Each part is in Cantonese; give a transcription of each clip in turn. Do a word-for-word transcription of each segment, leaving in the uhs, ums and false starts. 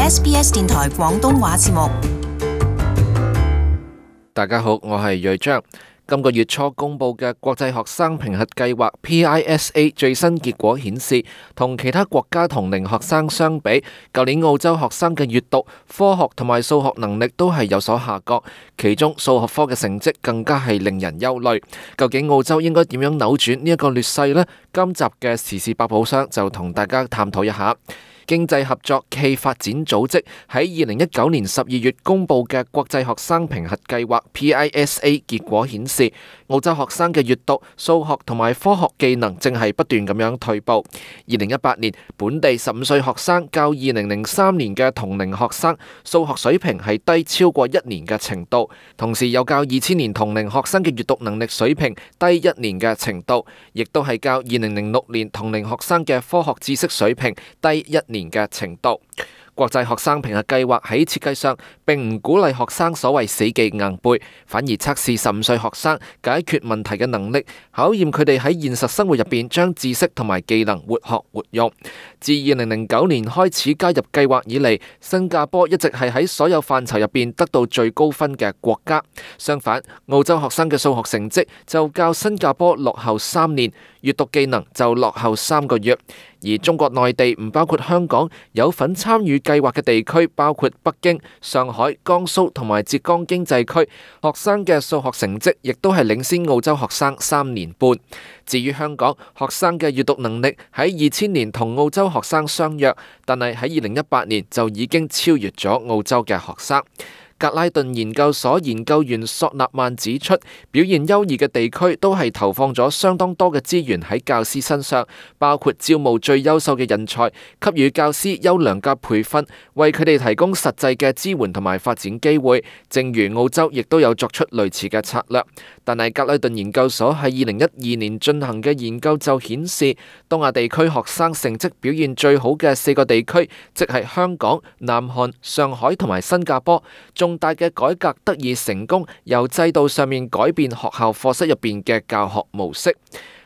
S B S 電台廣東話節目。大家好，我係瑞章。今個月初公布嘅國際學生評核計劃 P I S A 最新結果顯示，同其他國家同齡學生相比，舊年澳洲學生嘅閱讀、科學同埋數學能力都係有所下降，其中數學科嘅成績更加係令人憂慮。究竟澳洲應該點樣扭轉呢一個劣勢呢？今集嘅時事百寶箱就同大家探討一下。經濟合作暨發展組織喺二零一九年十二月公布嘅國際學生評核計劃 P I S A 結果顯示，澳洲學生嘅閱讀、數學同埋科學技能正係不斷咁樣退步。二零一八年本地十五歲學生較二零零三年嘅同齡學生數學水平係低超過一年嘅程度，同時又較二千年同齡學生嘅閱讀能力水平低一年嘅程度，亦都係較二零零六年同齡學生嘅科學知識水平低一年嘅程度。國際學生評核計劃喺設計上並唔鼓勵學生所謂死記硬背，反而測試十五歲學生解決問題嘅能力，考驗佢哋喺現實生活入邊將知識同埋技能活學活用。自二零零九年開始加入計劃以嚟，新加坡一直係喺所有範疇入邊得到最高分嘅國家。相反，澳洲學生嘅數學成績就較新加坡落後三年，閱讀技能就落後三個月。而中國內地唔包括香港，有份參與計劃嘅地區包括北京、上海、江蘇同埋浙江經濟區，學生嘅數學成績亦都係領先澳洲學生三年半。至於香港，學生嘅閱讀能力喺二千年同澳洲學生相若，但係喺二零一八年就已經超越咗澳洲嘅學生。格拉頓研究所研究員索納曼指出，表現優異嘅地區都係投放咗相當多嘅資源喺教師身上，包括招募最優秀嘅人才，給予教師優良嘅培訓，為佢哋提供實際嘅支援同埋發展機會。正如澳洲亦都有作出類似嘅策略。但係格拉頓研究所喺二零一二年進行嘅研究就顯示，東亞地區學生成績表現最好嘅四個地區，即係香港、南韓、上海同埋新加坡。重大嘅改革得以成功，由制度上面改變學校課室入邊嘅教學模式。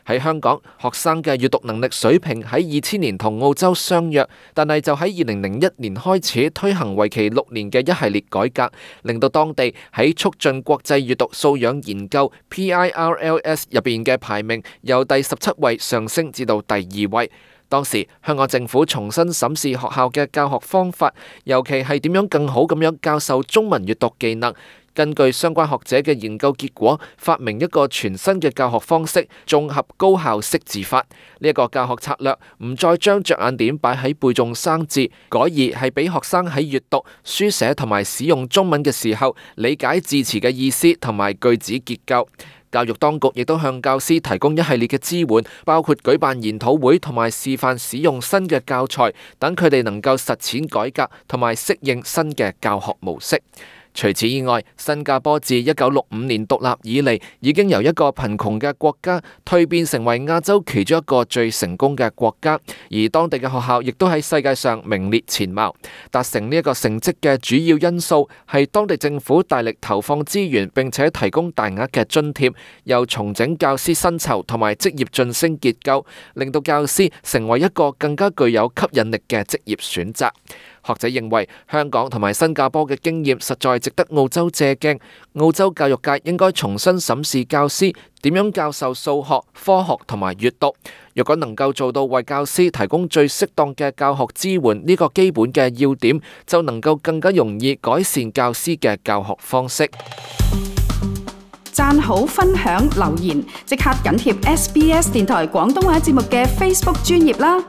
喺香港，學生嘅閱讀能力水平喺二千年同澳洲相若，但係就喺二零零一年開始推行為期六年嘅一系列改革，令到當地喺促進國際閱讀素養研究 P I R L S 入邊嘅排名由第十七位上升至到第二位。當時香港政府重新審視學校嘅教學方法，尤其係點樣更好咁樣教授中文閱讀技能。根據相關學者嘅研究結果，發明一個全新嘅教學方式——綜合高效識字法。呢一個教學策略唔再將着眼點擺喺背誦生字，改而係俾學生喺閱讀、書寫同埋使用中文嘅時候，理解字詞嘅意思同埋句子結構。教育當局亦都向教師提供一系列嘅支援，包括舉辦研討會同埋示範使用新嘅教材，等佢哋能夠實踐改革同埋適應新嘅教學模式。除此以外，新加坡自一九六五年獨立以嚟，已經由一個貧窮嘅國家蛻變成為亞洲其中一個最成功嘅國家，而當地嘅學校亦都喺世界上名列前茅。達成呢一個成績嘅主要因素係當地政府大力投放資源，並且提供大額嘅津貼，又重整教師薪酬同埋職業晉升結構，令到教師成為一個更加具有吸引力嘅職業選擇。學者認為，香港同埋新加坡嘅經驗實在值得澳洲借鏡。澳洲教育界應該重新審視教師點樣教授數學、科學同埋閱讀。若果能夠做到為教師提供最適當嘅教學支援呢個基本嘅要點，就能夠更加容易改善教師嘅教學方式。讚好、分享、留言，即刻緊貼 S B S 電台廣東話節目嘅 Facebook 專頁啦！